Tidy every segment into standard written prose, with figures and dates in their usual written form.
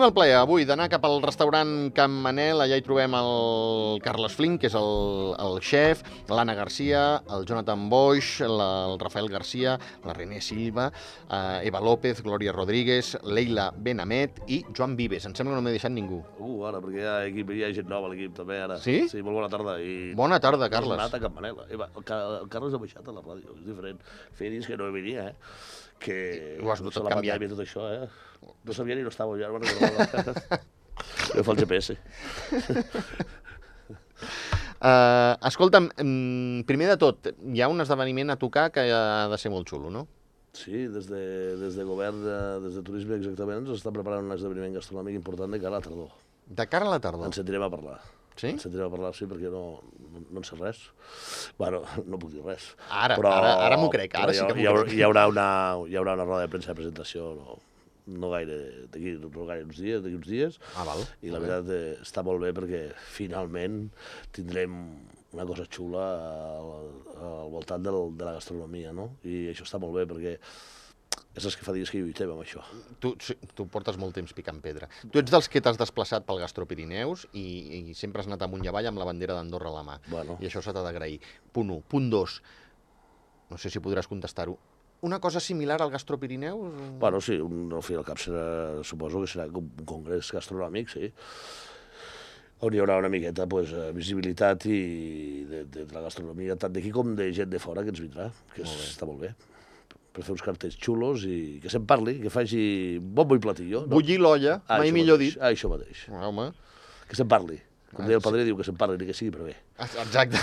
Tenim el plaer avui d'anar cap al restaurant Can Manel. Allà hi trobem el Carles Flink, que és el xef, l'Anna Garcia, el Jonathan Boix, el Rafael Garcia, la René Silva, Eva López, Glòria Rodríguez, Leila Benamet i Joan Vives. Em sembla que no m'he deixat ningú. Ara, perquè hi ha gent nova a l'equip també, ara. Sí? Sí, molt bona tarda. Bona tarda, Carles. Has anat a Can Manel. El Carles ha baixat a la ràdio, és diferent. Feia dies que no venia, que ho has notat la canviat. pandèmia i tot això, No sabia ni no estava allà, jo fa el GPS. Escolta'm, primer de tot, hi ha un esdeveniment a tocar que ha de ser molt xulo, no? Sí, des de govern, des de turisme exactament, ens està preparant un esdeveniment gastronòmic important de cara a la tardor. De cara a la tardor? Ens sentirem a parlar. Sí? Ens sentirem a parlar, sí, perquè no en sé res. Bueno, no puc dir res. Ara m'ho crec, ara sí que m'ho crec. Hi haurà una roda de premsa de presentació, no gaire, d'aquí uns dies. Val. I la veritat està molt bé perquè finalment tindrem una cosa xula al voltant de la gastronomia, no? I això està molt bé perquè és els que fa dies que lluitem amb això. Tu portes molt temps picant pedra. Tu ets dels que t'has desplaçat pel Gastropirineus i sempre has anat amunt i avall amb la bandera d'Andorra a la mà. Bueno. I això s'ha d'agrair. Punt 1. Punt 2. No sé si podràs contestar-ho. Una cosa similar al Gastropirineus? Bueno, sí, al fi al cap suposo que serà un congrés gastronòmic, sí, on hi haurà una miqueta visibilitat de la gastronomia, tant d'aquí com de gent de fora que ens vindrà, que està molt bé. Per fer uns cartells xulos i que se'n parli, que faci bombo i platillo. Bullir l'olla, mai millor dit. Això mateix. Home. Que se'n parli. Com deia el padrí, diu que se'n parli, ni que sigui per bé. Exacte.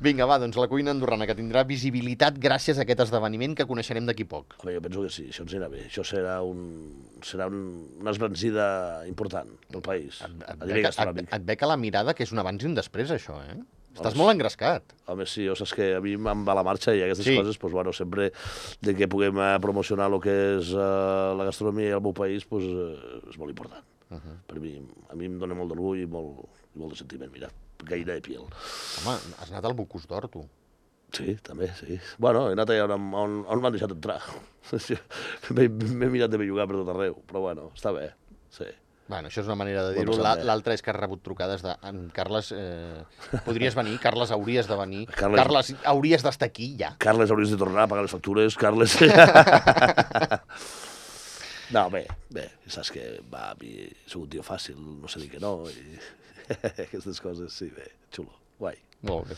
Vinga, va, doncs la cuina andorrana, que tindrà visibilitat gràcies a aquest esdeveniment que coneixerem d'aquí poc. Home, jo penso que sí, això ens anirà bé. Això serà una esbrancida important del país, a nivell gastronòmic. Et ve que la mirada que és un abans i un després, això, eh? Estàs molt engrescat. Home, sí, saps que a mi em va la marxa i aquestes coses, doncs, bueno, sempre que puguem promocionar el que és la gastronomia al meu país, és molt important. Per mi, a mi em dona molt d'orgull i molt de sentiment, mira, gaire de piel. Home, has anat al Bocús d'Or, tu. Sí, també, sí. Bueno, he anat allà on m'han deixat entrar. M'he mirat de bellugar per tot arreu, però bueno, està bé, sí. Bueno, això és una manera de dir-ho. L'altra és que has rebut trucades de Carles, podries venir? Carles, hauries de venir. Carles, hauries d'estar aquí, ja. Carles, hauries de tornar a pagar les factures. Carles... No, bé, saps que a mi soc un tio fàcil, no sé dir que no, i aquestes coses, sí, bé, xulo, guai. Molt bé.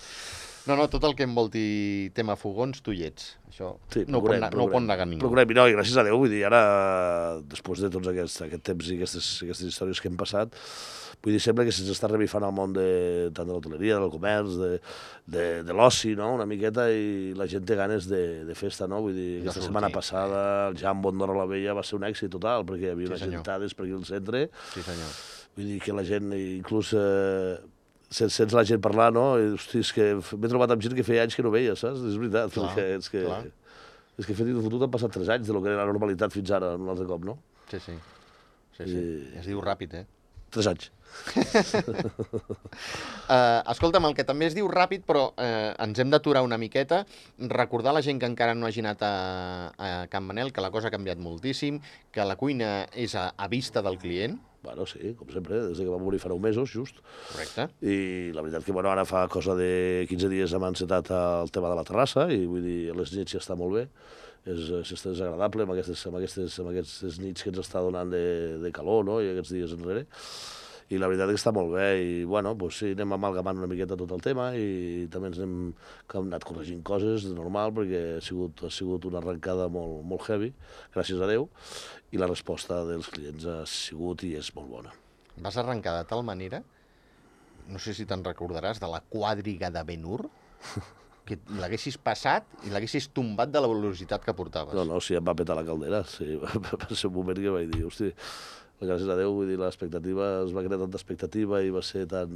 No, tot el que envolti tema fogons, tu hi ets. Això no ho pot negar ningú. Procurem, no, i gràcies a Déu, vull dir, ara, després de tots aquest temps i aquestes històries que hem passat, vull dir, sembla que se'ns està revifant el món tant de l'hoteleria, del comerç, de l'oci, no?, una miqueta, i la gent té ganes de festa, no? Vull dir, aquesta setmana passada el Jambo Andorra la Vella va ser un èxit total, perquè hi havia unes gentades per aquí al centre. Sí, senyor. Vull dir que la gent, inclús... Sents la gent parlar, no? Hosti, és que m'he trobat amb gent que feia anys que no veia, saps? És veritat. És que fet i fotut han passat 3 anys de lo que era la normalitat fins ara, un altre cop, no? Sí. Es diu ràpid, 3 anys. Escolta'm, el que també es diu ràpid, però ens hem d'aturar una miqueta, recordar a la gent que encara no hagi anat a Can Manel que la cosa ha canviat moltíssim, que la cuina és a vista del client. Bueno, sí, com sempre, des que vam obrir fa 9 mesos, just. Correcte. I la veritat que, bueno, ara fa cosa de 15 dies hem encetat el tema de la terrassa i, vull dir, a les nits ja està molt bé. És agradable amb aquestes nits que ens està donant de calor, no?, i aquests dies enrere. I la veritat és que està molt bé i, bueno, doncs sí, anem amalgamant una miqueta tot el tema i també ens hem anat corregint coses, de normal, perquè ha sigut una arrencada molt heavy, gràcies a Déu, i la resposta dels clients ha sigut i és molt bona. Vas arrencar de tal manera, no sé si te'n recordaràs, de la quàdriga de Ben-Hur, que l'haguessis passat i l'haguessis tombat de la velocitat que portaves. No, sí, em va petar la caldera, sí, va ser un moment que vaig dir, hosti, gràcies a Déu, vull dir, l'expectativa, es va crear tanta expectativa i va ser tan...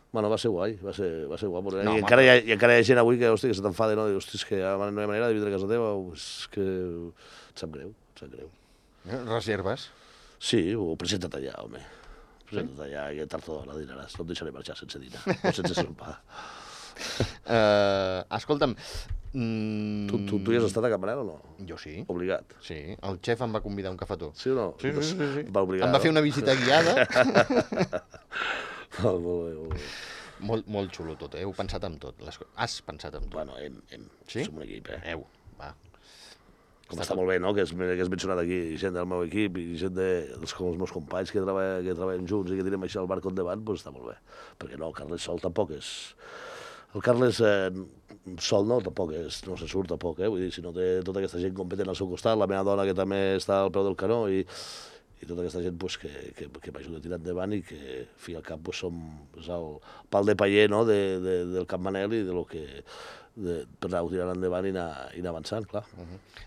Bueno, va ser guai, va ser guapo. No, I encara hi ha gent avui que, hosti, que se t'enfada, no? Diu, hosti, és que no hi ha manera de vindre a casa teva, és que em sap greu. Reserves? Sí, ho presenta't allà, home. Presenta't allà, que tard o d'hora dinaràs. No et deixaré marxar sense dinar, o sense sopar. Escolta'm... Tu hi has estat a Campmanel o no? Jo sí. Obligat. Sí, el xef em va convidar a un cafetó. Sí o no? Sí. Va obligar, em va fer una visita guiada. Molt bé. Molt xulo tot, Heu pensat en tot. Has pensat en tot. Bueno, Sí? som un equip, Va. Com està molt bé, no?, que has mencionat aquí gent del meu equip i gent dels meus companys que treballen junts i que tenim això al barco endavant, doncs està molt bé. Perquè no, el Carles sol tampoc és... El Carles sol tampoc no se surt tampoc, vull dir, si no té tota aquesta gent competent al seu costat, la meva dona que també està al peu del canó i tota aquesta gent pues, que m'ajuda a tirar endavant i que, al fi i al cap, pues, som el pal de paller, no?, del Campmanel i de lo que... per anar-ho tirant endavant i anar avançant, clar.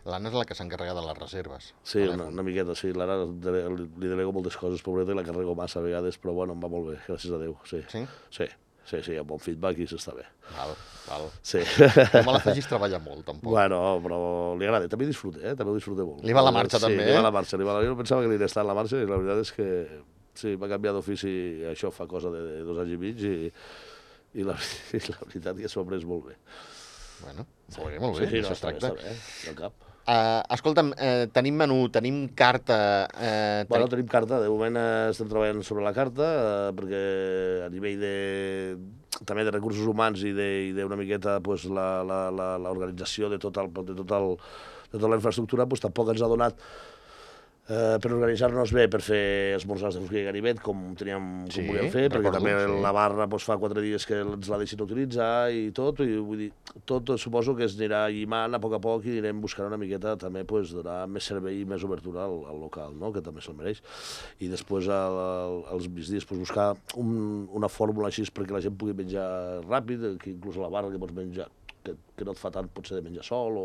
L'Anna és la que s'encarrega de les reserves. Sí, una miqueta, sí. L'Anna li delego moltes coses, pobreta, i la carrego massa a vegades, però bueno, em va molt bé, gràcies a Déu, sí. Sí? Sí, amb bon feedback i s'està bé. Val. Sí. No me la facis treballar molt, tampoc. Bueno, però li agrada, també disfruta, també ho disfruta molt. Li va la marxa, també, Sí, li va la marxa. Jo pensava que li estava en la marxa i la veritat és que sí, va canviar d'ofici, això fa cosa de 2 anys i mig i la veritat que s'ho ha pres molt bé. Bueno, molt bé, això es tracta. Està bé, no cap. Escolta'm, tenim menú, tenim carta... Bueno, tenim carta, de moment estem treballant sobre la carta, perquè a nivell també de recursos humans i d'una miqueta l'organització de tota la infraestructura tampoc ens ha donat per organitzar-nos bé per fer esmorzars de Forquilla i Ganivet com volíem fer, perquè també la barra fa 4 dies que ens la deixin utilitzar i tot, i vull dir, tot suposo que es anirà llimant a poc i anirem buscant una miqueta també donar més servei i més obertura al local, no?, que també se'l mereix. I després als migdies buscar una fórmula així perquè la gent pugui menjar ràpid, que inclús a la barra que pots menjar que no et fa tant potser de menjar sol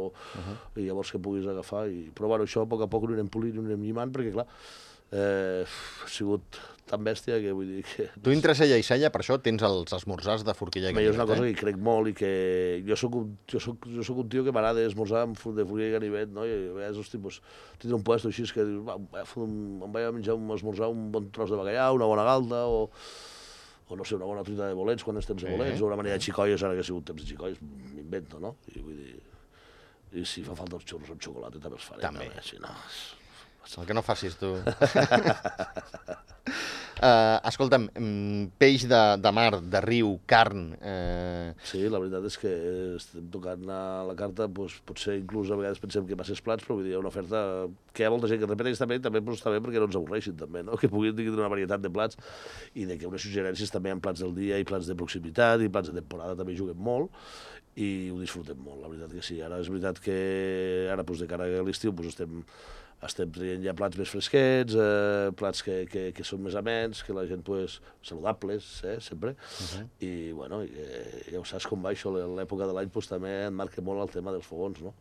i llavors que puguis agafar però bueno, això a poc ho anirem polint i ho anirem llimant perquè clar ha sigut tan bèstia que vull dir que... Tu entre cella i cella, per això tens els esmorzars de Forquilla i Ganivet. És una cosa que hi crec molt i que jo soc un tio que m'agrada esmorzar de Forquilla i Ganivet, no? I a vegades, hosti, tindre un puesto així que dius, em vaig a menjar esmorzar un bon tros de bacallà, una bona galta o no sé, una bona truita de bolets quan és temps de bolets, o una manera de xicoies, ara que ha sigut temps de xicoies, m'invento, no? I vull dir... I si fa falta els xurros amb xocolata també els faré. També. Si no... El que no facis tu. Escolta'm, peix de mar, de riu, carn... Sí, la veritat és que estem tocant a la carta, potser inclús a vegades pensem que masses plats, però vull dir, hi ha una oferta que hi ha molta gent que repeteix també està bé perquè no ens avorreixin també, no? Que puguin tenir una varietat de plats i de que unes suggerències també en plats del dia i plats de proximitat i plats de temporada també juguen molt i ho disfrutem molt, la veritat que sí. Ara és veritat que ara de cara a l'estiu estem traient ja plats més fresquets, plats que són més amens, que la gent, saludables, sempre. I, bueno, ja ho saps com va això, l'època de l'any també en marca molt el tema dels fogons, no?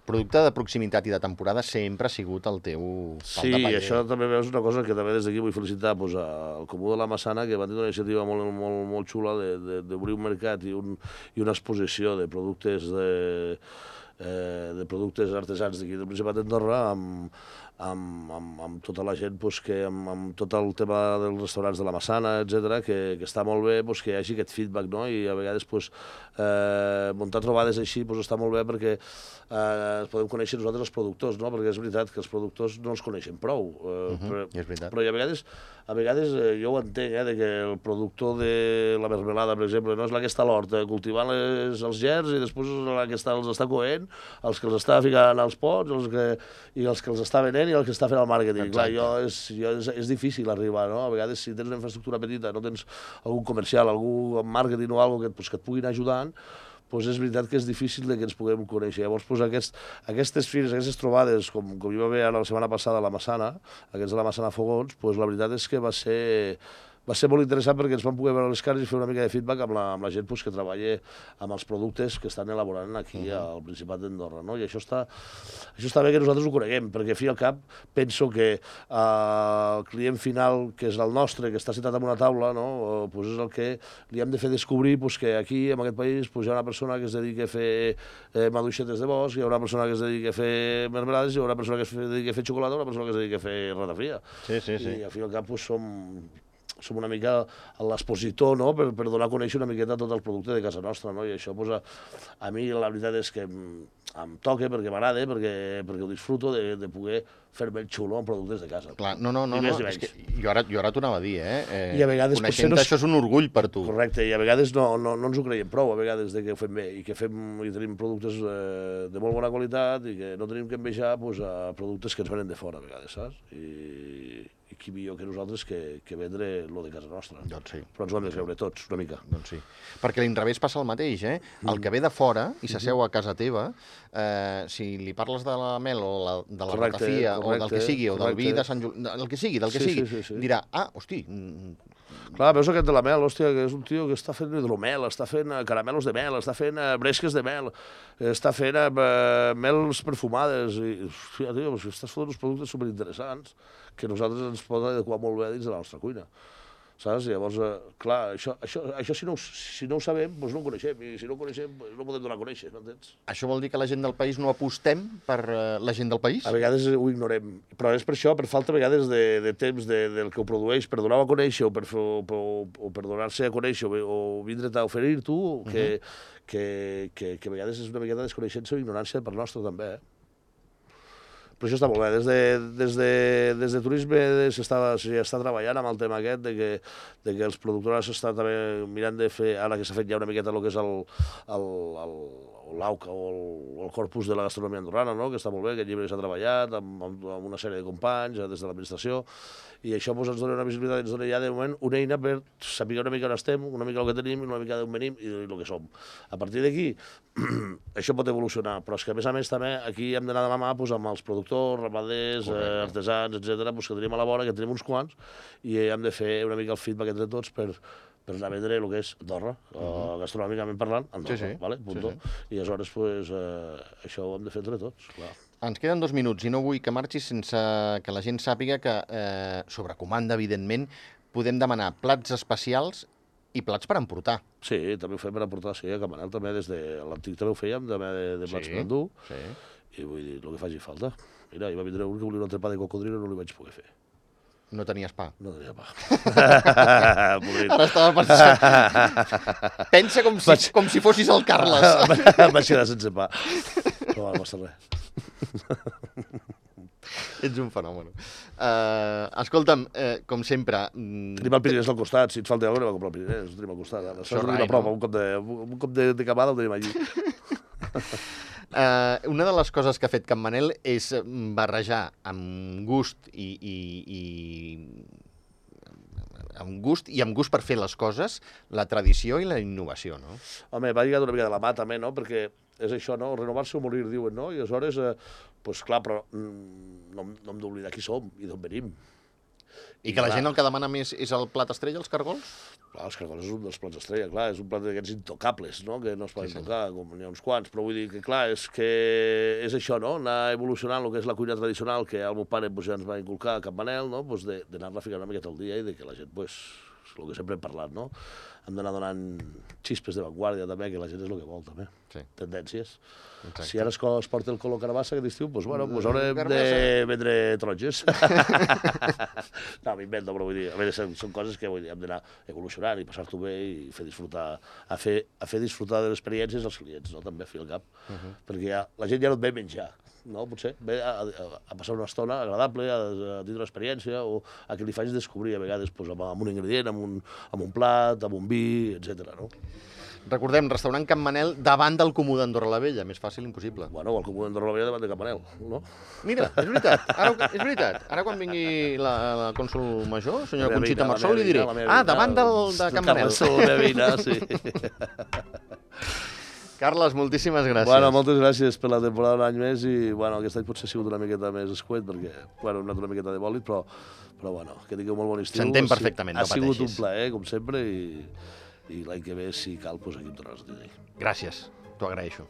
Producte de proximitat i de temporada sempre ha sigut el teu pal de paller. Sí, això també veus una cosa que també des d'aquí vull felicitar al Comú de la Massana, que van tenir una iniciativa molt xula d'obrir un mercat i una exposició de productes artesans d'aquí del Principat d'Andorra amb tota la gent amb tot el tema dels restaurants de la Massana, etc, que està molt bé que hi hagi aquest feedback, no? I a vegades muntar trobades així està molt bé perquè podem conèixer nosaltres els productors, no? Perquè és veritat que els productors no els coneixen prou, però a vegades jo ho entenc, de que el productor de la mermelada, per exemple, no és la que està a l'hort cultivant els gerds i després la que els està coent, els que els està ficant als pots i els que els està venent i el que està fent el màrqueting. Clar, és difícil arribar, no? A vegades, si tens una infraestructura petita, no tens algun comercial, algú en màrqueting o alguna cosa que et puguin ajudant, és veritat que és difícil que ens puguem conèixer. Llavors, aquestes fires, aquestes trobades, com hi va haver ara la setmana passada a la Massana, aquests de la Massana Fogons, la veritat és que va ser molt interessant perquè ens vam poder veure les cares i fer una mica de feedback amb la gent que treballa amb els productes que estan elaborant aquí al Principat d'Andorra, no? I això està bé que nosaltres ho coneguem, perquè a fi al cap penso que el client final, que és el nostre, que està sentat en una taula, no? És el que li hem de fer descobrir que aquí, en aquest país, hi ha una persona que es dedica a fer maduixetes de bosc, hi ha una persona que es dedica a fer mermelades, hi ha una persona que es dedica a fer xocolata, una persona que es dedica a fer ratafia. Sí. I al fi al cap som una mica l'expositor, no?, per donar a conèixer una miqueta tot el producte de casa nostra, no? I això, a mi la veritat és que em toca, perquè m'agrada, perquè ho disfruto de poder fer-me el xulo amb productes de casa. Clar, no, és que jo ara t'ho anava a dir, I a vegades coneixent això és un orgull per tu. Correcte, i a vegades no ens ho creiem prou, a vegades de que ho fem bé, i que tenim productes de molt bona qualitat i que no tenim que envejar a productes que ens venen de fora, a vegades, saps? I qui millor que nosaltres que vendre lo de casa nostra. Doncs sí. Però ens ho hem de creure tots, una mica. Doncs sí. Perquè a l'inrevés passa el mateix, eh? El que ve de fora i s'asseu a casa teva, si li parles de la mel o de la ratafia o del que sigui, o del vi de Sant Julià, del que sigui, dirà, hosti... Clar, veus aquest de la mel, hòstia, que és un tio que està fent hidromel, està fent caramelos de mel, està fent bresques de mel, està fent mels perfumades, i, hòstia, tio, estàs fotent uns productes superinteressants que nosaltres ens poden adequar molt bé dins de la nostra cuina. Saps? Llavors, clar, això si no ho sabem, doncs no ho coneixem, i si no ho coneixem, no ho podem donar a conèixer, m'entens? Això vol dir que la gent del país no apostem per la gent del país? A vegades ho ignorem, però és per això, per falta a vegades de temps del que ho produeix, per donar-ho a conèixer o per donar-se a conèixer o vindre't a oferir tu, que a vegades és una miqueta de desconeixença o ignorància per nostra també, Però això està molt bé. Des de turisme s'està treballant amb el tema aquest de que els productors s'estan també mirant de fer, ara que s'ha fet ja una miqueta el que és l'AUCA o el corpus de la gastronomia andorrana, no? Que està molt bé, aquest llibre s'ha treballat amb una sèrie de companys des de l'administració, i això ens dona una visibilitat, ens dona ja de moment una eina per saber una mica on estem, una mica el que tenim, una mica d'on venim i el que som. A partir d'aquí, això pot evolucionar, però és que a més també aquí hem d'anar de la mà amb els productors, ramaders, artesans, etc., que tenim a la vora, que tenim uns quants, i hem de fer una mica el feedback entre tots per anar a vendre el que és Andorra, gastronòmicament parlant, Andorra, vale? Punto. I aleshores, això ho hem de fer entre tots, clar. Ens queden 2 minuts i no vull que marxis sense que la gent sàpiga que, sobre comanda, evidentment, podem demanar plats especials i plats per emportar. Sí, també ho fem per emportar, sí, a Can Manel també, des de l'antic també ho fèiem, també de plats per endur, i vull dir, el que faci falta. Mira, hi va vindre un que volia un entrepà de cocodrilo i no li vaig poder fer. No tenies pa? No tenia pa. Ara estava pensant... Pensa com si fossis el Carles. Em vaig quedar sense pa. Però no passa res. Ets un fenomen. Escolta'm, com sempre... Tenim el Pirinès al costat, si et falta alguna cosa, anem a comprar el Pirinès, ho tenim al costat. Això és una prova, un cop de camada ho tenim allí. Una de les coses que ha fet Can Manel és barrejar amb gust i amb gust per fer les coses, la tradició i la innovació, no? Home, va lligat una mica de la mà també, no? Perquè és això, no? Renovar-se o morir, diuen, no? I aleshores, doncs clar, però no hem d'oblidar qui som i d'on venim. I que la gent el que demana més és el plat estrella, els cargols? Clar, els cargols és un dels plats estrella, clar, és un plat d'aquests intocables, no?, que no es poden tocar, com n'hi ha uns quants, però vull dir que, clar, és això, no?, anar evolucionant el que és la cuina tradicional que el meu pare ja ens va inculcar a Can Manel, no?, d'anar-la ficant una miqueta al dia i que la gent, el que sempre hem parlat, no?, hem d'anar donant xispes de vanguardia també, que la gent és el que vol també, tendències. Si ara es porta el color carabassa aquest estiu, doncs haurem de vendre taronges. No, m'invento, però vull dir, a veure, són coses que hem d'anar evolucionant i passar-t'ho bé i fer disfrutar, a fer disfrutar de les experiències als clients, no?, també, a fi al cap, perquè la gent ja no et ve menjar, no, potser, ve a passar una estona agradable, a tindre una experiència, o a que li facis descobrir a vegades amb un ingredient, amb un plat, amb un vi, etc. no? Recordem, restaurant Can Manel davant del Comú d'Andorra la Vella, més fàcil impossible. Bueno, el Comú d'Andorra la Vella davant de Can Manel, no? Mira, és veritat. Ara quan vingui la cònsol major, senyora Conxita Marsol, li diré, davant de Can Manel. La veïna, sí. Carles, moltíssimes gràcies. Bueno, moltes gràcies per la temporada d'un any més i, bueno, aquest any potser ha sigut una miqueta més escuet perquè, bueno, hem anat una miqueta de bòlit, però bueno, que tingueu molt bon estiu. S'entén perfectament, no pateixis. Ha sigut un plaer, com sempre, i l'any que ve, si cal, doncs aquí em tornaràs a tenir. Gràcies, t'ho agraeixo.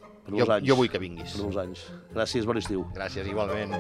Jo vull que vinguis. Per molts anys. Gràcies, bon estiu. Gràcies, igualment.